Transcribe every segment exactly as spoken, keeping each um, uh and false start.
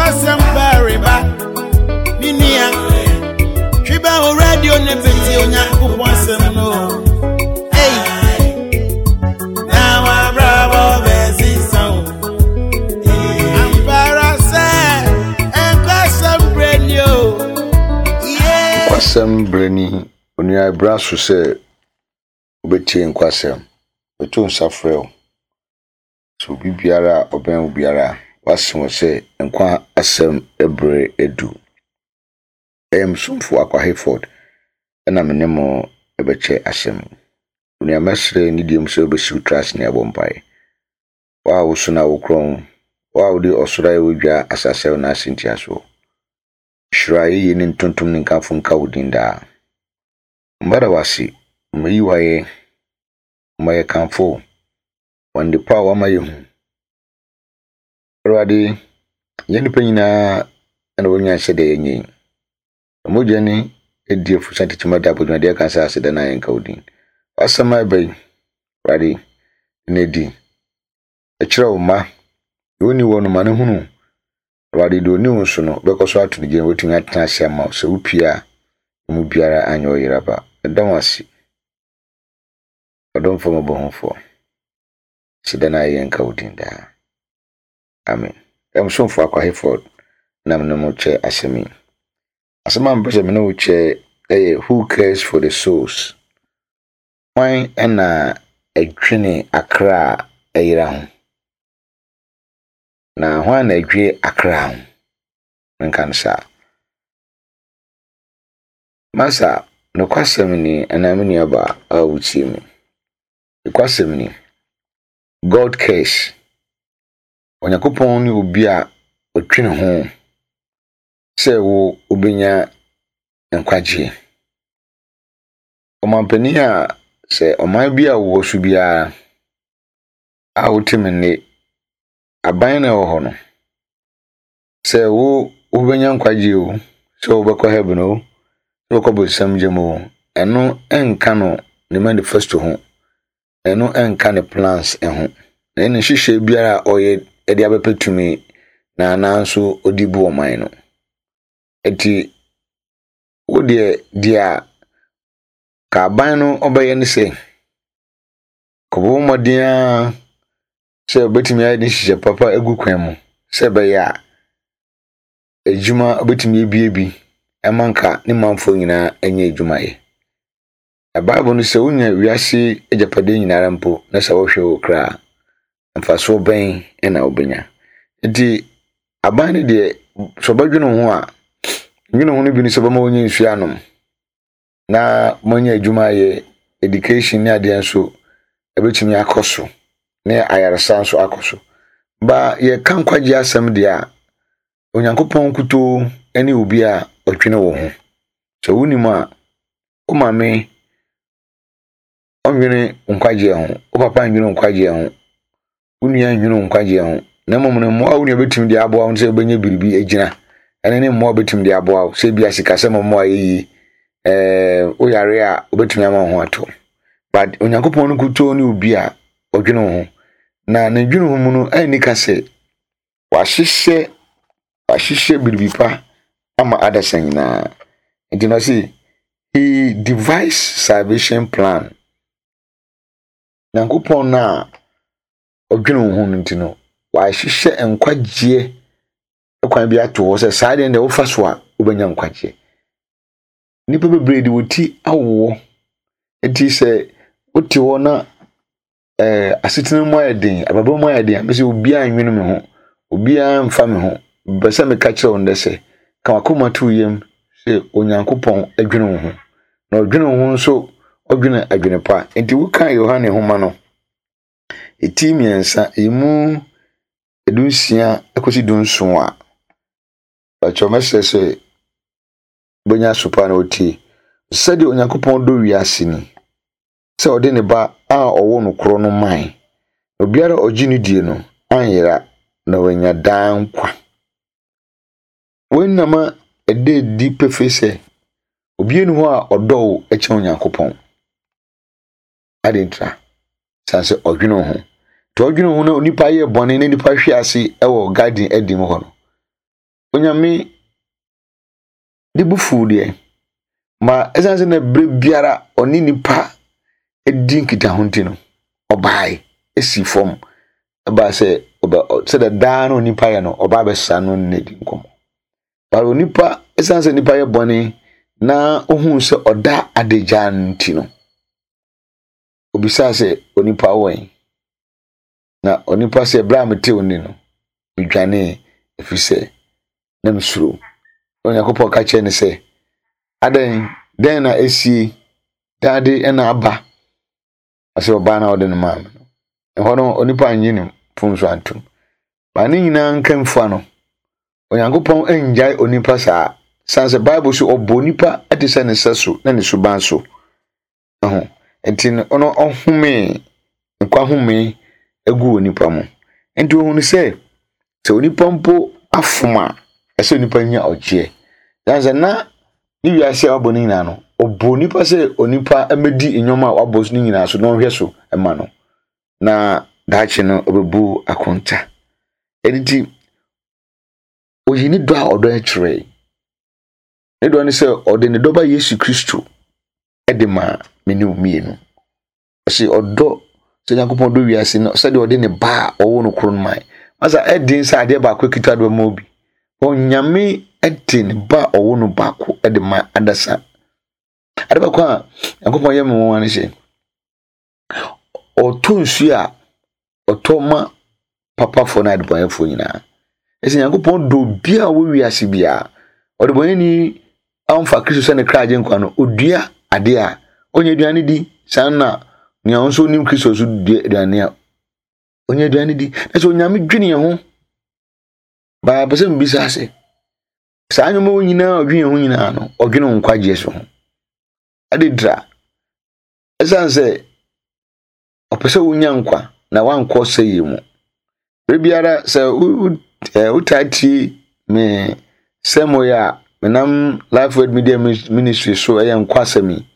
Nkwasɛm pareba. Me nua, twi bɛ wo radio ne bɛtie Onyankopɔn asɛm no. Ei, na wabrabɔ bɛsesa wo. Ampara sɛ nkwasɛm berɛ ni o. Yeah. Nkwasɛm berɛ ni onua ɛberɛ so sɛ wobɛtie nkwasɛm. Meto nsa frɛ wo sɛ obi biara a ɔbɛn wo biara a wase wɔ sɛ nkwa asɛm berɛ adu. Ɛyɛ me somfo Akwa Hayford ɛna me ne mo ɛbɛkyɛ asɛm yi. Onua mɛsrɛ ne deɛ mu sɛ wobɛsi wo tiri ase ne abɔ mpaeɛ. Wo a woso na wokorɔn, wo a wode ɔsoro ayɛ wo dwa asase a wo nan ase ntiasoɔ. Hyira yɛyie ne ntontom ne nkamfo nka wo din daa. Mbada wase, mmayi wayɛ, mma yɛkamfo wo. Wɔ ndepa a wama yɛhu. Awurade, yɛn nnipa nyinaa ɛna wɔnya sɛdeɛ yɛnyɛ yi. Mogya ni edi afusa tete da abodwumadeɛ ka sɛ aseda na yɛnka wo din. W'asɛm a ɛba yi, Awurade, na di. Ɛkyerɛ wo mma, deɛ ɔnni wɔ no ma no hunu. Awurade, deɛ ɔni wo nso no, wobɛkɔ so ato no gyina wɔatumi atena ase ama wo. Sɛ wopie a, emu biara anyɛ ɔyera ba. Ɛda wo ase. Ɔdomfo mmɔbɔhufoɔ. Aseda na yɛnka wo din daa. Amen. Ɛm somfo Akwa Hayford na me ne mo kyɛ asɛm yi. Asɛm a mepɛ sɛ me ne wo kyɛ ɛyɛ Who cares for the souls? Hwan ɛna ɛdwene akra a ɛyera ho? Na hwan na ɛdwe akra ho? Menka no saa. Masa, nokwasɛm ni anaa me nuabaa a wotie me. Nokwasɛm ni, God cares. Onyankopɔn ne obi a ɔtwene ho sɛ wo wobɛnya nkwagyeɛ. Ɔmampanin a sɛ ɔman bi a wowɔ so biara a wote me nne, aban na ɛwɔ hɔ no, sɛ wo wobɛnya nkwagyeɛ o, sɛ wobɛkɔ heaven o, sɛ wobɛkɔ bonsam gyam o, ɛno ɛnka no ne manifesto ho. Ɛno ɛnka ne plans ho. Na ɛne nhyehyɛe biara a ɔyɛ de abɛpɛ tumi na nanso ɔde bu ɔman no. Nti wo deɛ deɛ a ka aban no ɔbɛyɛ ne sɛ kɔbɔ mmɔden ara sɛ obetumi ayɛ ne nhyehyɛ papa agu kwan mu sɛ ɛbɛyɛ a adwuma obetumi abue bi ɛma nka ne manfoɔ nyinaa anya adwuma yɛ. Na Bible no sɛ wonya wiase agyapadeɛ nyinara mpo na sɛ wohwɛ wo kra a, mfasoɔ bɛn na wobɛnya. Nti aban no deɛ sɛ ɔbɛdwene ho a, dwene ho no bi ne sɛ ɔbɛma wonya nsuo anom na moanya adwuma ayɛ education ne adeɛ nso ɛbɛtumi akɔ so ne ayaresa nso akɔ so. Ba yɛka nkwagye asɛm deɛ a, Onyankopɔn nkutoo ne obi a ɔdwene wo ho. Sɛ wonim a, wo maame ɔnwene nkwagyeɛ ho, wo papa nwene nkwagyeɛ ho, wo nua nwene nkwagyeɛ ho. Na mmom no mmoa a wo nua bɛtumi de aboa wo sɛ wobɛnya biribi agyina ɛne ne mmoa a wobɛtumi de aboa wo sɛ bi asikasɛm mmoa yɛ yie ɛɛ woyare a wobɛtumi ama wo ho ato. But Onyankopɔn no nkutoo ne obi a ɔdwene wo ho. Na ne dwene ho mu no ɛnni ka sɛ wahyehyɛ wahyehyɛ biribi pa ama adasa nyinaa. Nti na ɔse he devised salvation plan. Nyankopɔn no a ɔdwene wo ho no nti no, wahyehyɛ nkwagyeɛ kwan bi ato hɔ sɛ saa deɛ deɛ wofa so a wobɛnya nkwagyeɛ. Nnipa bebree de wɔn ti awowɔ. Nti sɛ wote hɔ na ɛɛ asetena mu ayɛ den, abrabɔ mu ayɛ den a, mese obiara nwene me ho, obiara mfa me ho. Mpɛ sɛ meka kyerɛ wo ndɛ sɛ, ka w'akoma to wo yam sɛ Onyankopɔn adwene wo ho. Na ɔdwene wo ho nso, ɔdwene adwene pa. Nti woka Yohane nhoma no, eti mmiɛnsa, emu dunsia kɔsi dunson a, bàtchɛ mɛsrɛ sɛ wobɛnya so pa na wotie. Sɛdeɛ Onyankopɔn dɔ wiase ni, sɛ ɔde ne ba a ɔwɔ no korɔ no mae. Na obiara a ɔgye no die no anyera na wanya daa nkwa. Wei nam a ɛda adi pefee sɛ obiara nni hɔ a ɔdɔ wo kyɛn Onyankopɔn. Adɛn ntira? San sɛ ɔdwene wo ho. Nti ɔdwene wo ho na onipa yɛ bɔne na nipa hwe ase wɔ garden adi mu hɔ no, Onyame ne bo fuw deɛ, ma ɛsiane sɛ na berɛ biara ɔne nipa di nkitaho nti no, ɔbae esi fam ɛbaa sɛ ɔbɛ sɛdeɛ daa na onipa yɛ no, ɔba abɛsra no ne di nkɔmmɔ. But onipa, ɛsiane sɛ nipa yɛ bɔne na ohuu sɛ ɔda adagya nti no, obisaa sɛ, onipa wɔ he? Na onipa sɛ, berɛ a metee wo nne no, medwanee, ɛfiri sɛ na mesuro. Na Onyankopɔn ka kyerɛɛ no sɛ, adɛn, dɛn na esie? Dɛn ade na aba? Ɔsɛ ɔbaa na ɔde no maa me no. Ɛhɔ no, onipa annye ne mfomso antom. Ba ne nyinaa nka mfua no, Onyankopɔn angyae onipa saa. San sɛ Bible so ɔbɔ onipa te sɛ ne sɛ so na ne suban so. Ɛho. Nti no, ɔno ɔhomee, nkwa homee egu onipa mu. Nti ohunu sɛ, sɛ onipa mpo afom a, ɛsɛ onipa nya ɔgyeɛ. Yan sɛ na ne wiase a wabɔ no nyinaa no, ɔbɔ onipa sɛ onipa mmɛdi nneɛma a wabɔ so no nyinaa so na ɔnhwɛ so ma no. Na daakye no, ɔbɛbu akonta. Ɛno nti, oyi ne dɔ a ɔdɔ kyerɛ. Ne dɔ ne sɛ ɔde ne dɔba Yesu Kristo de maa me ne wo mmienu. Ɔse ɔdɔ sɛ Nyankopɔn dɔ wiase no sɛdeɛ ɔde ne ba a ɔwɔ no koro no mae. Masa ɛden sɛ adeɛ baako kita de bɛma obi. Onyame de ne ba a ɔwɔ no baako de ma adasa. Ade baako a Nyankopɔn yɛ me nwanwa ne sɛ, ɔtɔ nsuo a ɔtɔ ma papafoɔ ne adebɔnyɛfoɔ nyinaa. Ɛsɛ Nyankopɔn dɔ obiara a ɔwɔ wiase biara. Ɔdebɔnyɛni amfa Kristo sɛ ne kra agye nkwa no, odua adeɛ a ɔnya aduane di. Saa na nea ɔno nso nim Kristo so dua aduane a ɔnya aduane di. Na sɛ Onyame dwene yɛn ho, baa pɛ sɛ mbisa ase. Saa nneɛma wɔ nyinaa a ɔdwene yɛn ho nyinaa no, ɔdwene wo nkwagyeɛ so ho. Ade dra. Ɛsiane sɛ ɔpɛ sɛ wonya nkwa na wankɔ sɛyɛ mu. Bere biara sɛ wotaa tie me sɛmo yi a menam Life Word Media Ministry so ɛyɛ nkwa asɛm yi.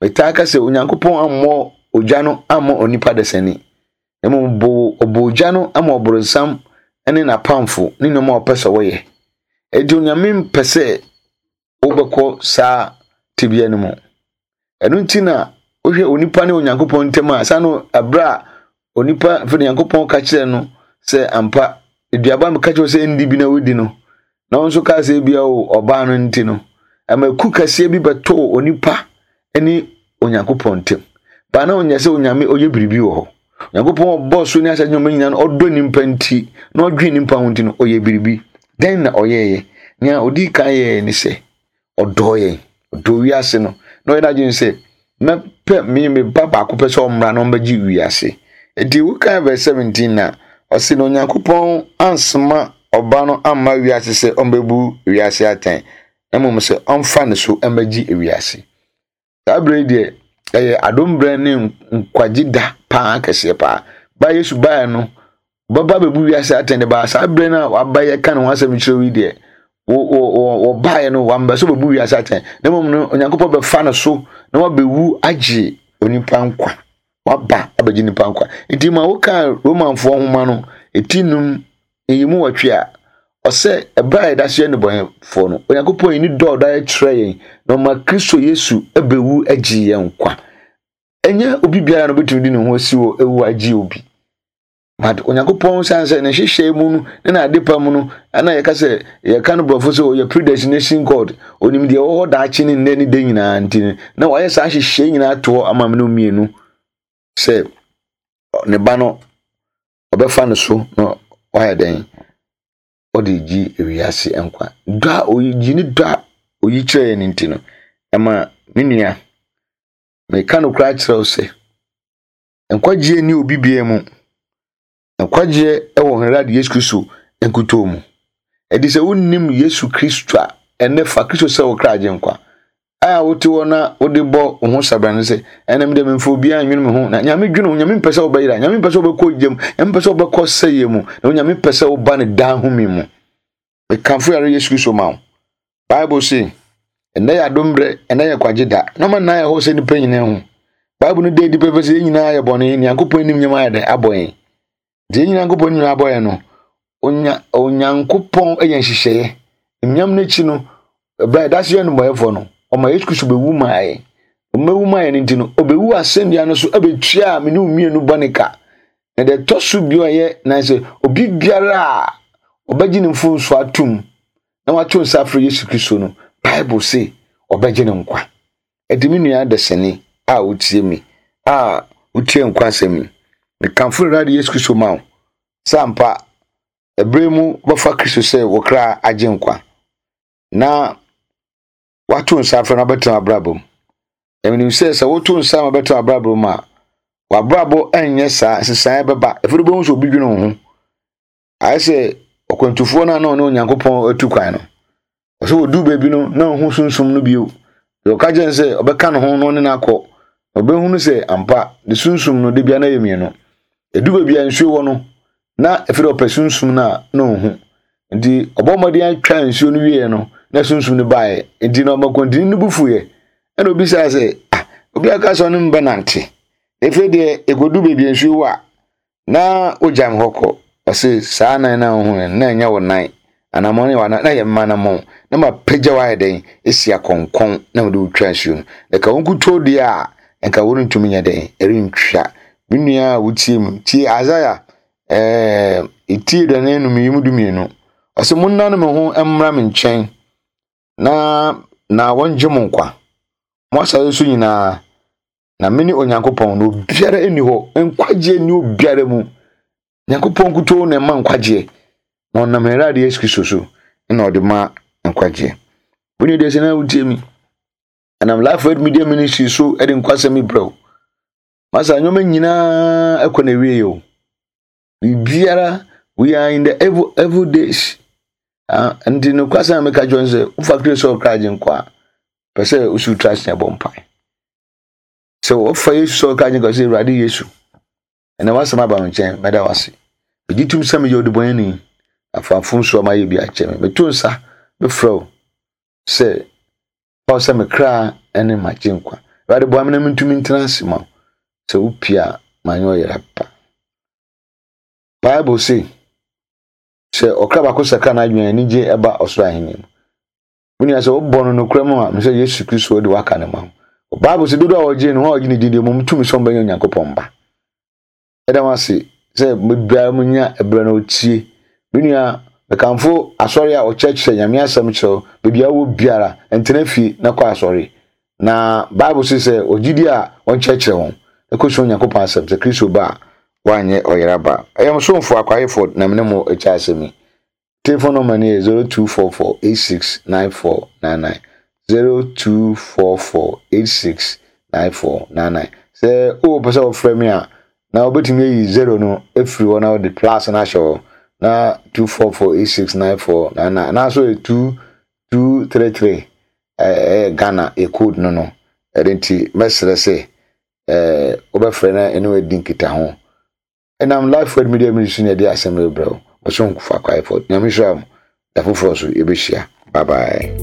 Metaa ka sɛ Onyankopɔn ammɔ ogya no amma onipa dasani. Na mmom ɔbɔ ogya no ama ɔborɔnsam ne n'apamfo ne nneɛma a ɔpɛ sɛ wɔyɛ. Enti Onyame mpɛ sɛ wobɛkɔ saa tebea no mu. Ɛno nti na wohwɛ onipa ne Onyankopɔn ntam a, saa no ɛberɛ a onipa afei Onyankopɔn ka kyerɛ no sɛ ampa aduaba meka kyerɛ sɛ ndi bi na wodi no, na wɔn nso kaa sɛ ebia o ɔbaa no nti no, ɛma ku kɛseɛ bi bɛtoo onipa ne Onyankopɔn ntam. Baa na ɔnyɛ sɛ Onyame ɔyɛ biribi wɔ hɔ. Onyankopɔn ɔbɔɔ so ne asase nneɛma nyinaa no, ɔdɔ nipa nti na ɔdwen nipa ho nti no, ɔyɛ biribi. Dɛn na ɔyɛeɛ? Nea ɔdii kan yɛɛ ne sɛ ɔdɔɔ yɛn, ɔdɔ wiase no, na ɔyɛ n'adwene sɛ mɛpɛ me me ba baako pɛ sɛ ɔmmra na ɔmmɛgye wiase. Enti wokan verse seventeen na ɔse na Onyankopɔn ansoma ɔba no amma wiase sɛ ɔmbɛbu wiase atɛn, na mmom sɛ ɔmfa ne so mmɛgye wiase. Saa bere yi deɛ, ɛyɛ adom berɛ ne nkwagye da paa kɛseɛ paa. Ba Yesu baeɛ no, ɔbɛba abɛbu wiase atɛn de baa saa bere no a waba yɛka ne ho asɛm kyerɛ yi deɛ, wɔbaeɛ no, wamba sɛ ɔbɛbu wiase atɛn. Na mmom no, Onyankopɔn bɛfa no so na wabɛwu agye onipa nkwa. Waba abɛgye nipa nkwa. Nti ma woka Romanfoɔ nhoma no, eti num, nyimu wɔtwe a, ɔsɛ ɛberɛ a yɛda so yɛ nnebɔneyɛfoɔ no, Onyankopɔn yi ne dɔ a ɔda kyerɛ yɛn na ɔma Kristo Yesu abɛwu agye yɛn nkwa. Ɛnyɛ obi biara na obɛtumi de ne ho asi hɔ ewu agye obi. But Onyankopɔn san sɛ ne nhyehyɛe mu no ne n'ade pa mu no, ɛna yɛka sɛ yɛka no borɔfo sɛ ɔyɛ predestination God. Onim deɛ ɛwɔ hɔ daakye ne nnɛ ne da nyinaa nti no, na wayɛ saa nhyehyɛe nyinaa to hɔ ama me no mmienu sɛ ne ba no ɔbɛfa no so na wayɛ dɛn ɔde gye ewiase nkwa. Dɔ a oyi gye ne dɔ a oyi kyerɛ yɛn nti no, ɛma me nua meka no koraa kyerɛ wo sɛ nkwagyeɛ ni obi biara mu. Nkwagyeɛ wɔ Awurade Yesu Kristo nkutoo mu. Ɛdi sɛ wonnim Yesu Kristo a, ɛnnɛ fa Kristo sɛ wo kra agye nkwa. A wote hɔ na wode bɔ wo ho sabrane sɛ ɛnam dɛ memfa obiara nwene me ho, na Nyame dwene wo. Nyame mpɛ sɛ wobɛyera, Nyame mpɛ sɛ wobɛkɔ gyam, Nyame mpɛ sɛ wobɛkɔ sɛeɛ mu, na Onyame pɛ sɛ woba ne daa home mu. Mekamfo Awurade Yesu Kristo ma wo. Bible se ɛnnɛ yɛ adom berɛ, ɛnnɛ yɛ kwagye da. Na ɔma nnan yɛ hɔ sɛ nnipa nyinaa hu. Bible no da adi pɛpɛ sɛ yɛn nyinaa yɛ bɔne, Nyankopɔn anim nyɛma ayɛ dɛn abɔ yɛn. Nti yɛn nyinaa Nyankopɔn anim abɔ yɛn no, Onya Onyankopɔn yɛ nhyehyɛeɛ. Nyam no akyi no, ɛberɛ a ɛda so yɛ nnebɔneyɛfoɔ no, ɔma Yesu Kristo bɛwu maa yɛn. Ɔmɛwu maa yɛn nti no, ɔbɛwu asɛnnua no so ɛbɛtua me ne wo mmienu bɔne ka. Na deɛ ɛtɔ so bio a ɛyɛ nan sɛ, obi biara a ɔbɛgye ne mfomsoɔ atom na wato nsa afrɛ Yesu Kristo no, Bible se ɔbɛgye ne nkwa. Ɛnti me nua adesani a wotie me, a wotie nkwa asɛm yi, mekamfo Awurade Yesu Kristo ma wo sɛ ampa ɛberɛ mu bɛfa Kristo sɛ wo kra agye nkwa na wato nsa afrɛ no abɛtena abrabɔ mu. Na menim sɛ sɛ woto nsa ma bɛtena abrabɔ mu a, w'abrabɔ ɛnyɛ saa, nsesaeɛ bɛba. Ɛfiri wobɛhu sɛ obi dwene wo ho. Ayɛ sɛ ɔkwantufoɔ no a na ɔne Onyankopɔn atu kwan no, ɔsɛ wɔdu baabi no na ɔhu sunsum no bio. Deɛ ɔka kyerɛ no sɛ ɔbɛka ne ho na ɔne no akɔ, ɔbɛhunu sɛ ampa ne sunsum no de bia na yɛ mmienu. Ɛdu baabi a nsuo wɔ no, na ɛfiri ɔpɛ sunsum no a na ɔhu. Nti ɔbɔ mmɔden atwa nsuo no wieɛ no, na sunsum no baeɛ. Nti na ɔmakwantini no bu fuiɛ. Ɛna obisaa sɛ, ah, obi aka sɛ ɔne me bɛnante. Ɛfiri deɛ ɛkɔdu baabi a nsuo wɔ a, na ogya me hɔ kɔ. Ɔse saa nan na wohu no, na ɛnyɛ wo nan. Anammɔn ne w'anan, na yɛ mma anammɔn. Na mapagya wo ayɛ dɛn? Esi akɔnkɔn na mede wo twa nsuo no. Na ka wo nkutoo deɛ a, nka worentumi nyɛ dɛn? Ɛrentwa. Me nua a wotie mu, tie Isaiah ɛɛ etie aduanan enum yi mu du mmienu. Ɔse monnane mo ho mmra me nkyɛn na na wɔngye mo nkwa. Mo asase so nyinaa, na mene Onyankopɔn, na obiara nni hɔ. Nkwagyeɛ nni obiara mu. Nyankopɔn nkutoo na ɛma nkwagyeɛ. Na ɔnam Awurade Yesu Kristo so na ɔde ma nkwagyeɛ. Wo nua deɛ sɛ na wotie mi. Ɛnam Life Word Media Ministry so de nkwasɛm yi brɛ wo. Masa nneɛma nyinaa ɛkɔ na ewie o. Biribiara, we are in the evil, evil days. Ah, nti no kwasɛm a meka kyerɛ sɛ wofa Kristo sɛ ɔkra agye nkwa a, pɛ sɛ wosi wo ase na ɛbɔ mpae. Sɛ wɔfa Yesu sɛ ɔkra agye nkwa sɛ Awurade Yesu, ɛnna w'asɛm aba me nkyɛn, mɛda w'ase. Megye tom sɛ meyɛ ɔdebɔneyɛni, afa mfomsoɔ a mayɛ bi akyɛ me. Meto nsa mefrɛ wo sɛ fa wo sɛ me kra ne m'agye nkwa. Awurade boa me na mentumi ntena ase ma wo. Sɛ wopie a, manyɛ ɔyera pa. Bible se, sɛ ɔkra baako sakra n'adwene a, anigye ɛba ɔsoro ahenni mu. Wo nua sɛ wobɔ no nokorɛ mu a, mesɛ Yesu Kristo de waka ne ma wo. Bible se dodoɔ a wɔgye no, wɔn a wɔgye ne din deɛ, mmom tumi sɛ wɔbɛnyɛ Onyankopɔn ba. Ɛda mo ase sɛ biara mu nya ɛberɛ na ɔtie. Me nua, mekamfo asɔre a ɔkyerɛkyerɛ Nyame asɛm kyerɛ wo, baabi a wowɔ biara, ntena fie na kɔ asɔre. Na Bible se sɛ ɔgyidi a wɔnkyerɛkyerɛ wɔn, na kɔsua Onyankopɔn asɛm sɛ Kristo ba a, woanyɛ ɔyera ba. Ɛyɛ mo somfo Akwayefo na mene mo akyɛ asɛm yi. Telephone number no yɛ zero two four four eight six nine four nine nine, zero two four four eight six nine four nine nine. Sɛ wopɛ sɛ wɔfrɛ me a, na wobɛtumi ayi zero no afiri hɔ na wode plus no ahyɛ hɔ na two four four eight six nine four nine nine anaasɛ ɔyɛ two two three three ɛyɛ Ghana yɛ code no no. Ɛno nti mɛsrɛ sɛ ɛɛ wobɛfrɛ na ɛne wadi nkitaho. Ɛnam Life Word Media Ministry na ɛde asɛm no brɛ wo. Ɔsɛ nkufa Akwayefo. Nyame nhyira mo. Da foforɔ so yɛbɛhyia. Bye bye.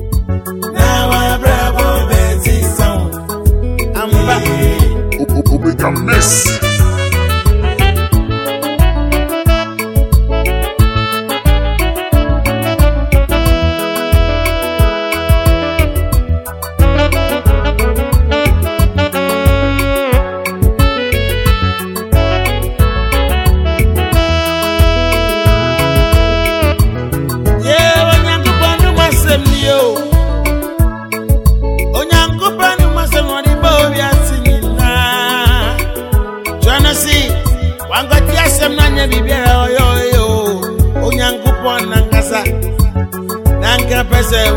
Omega Miss. Pese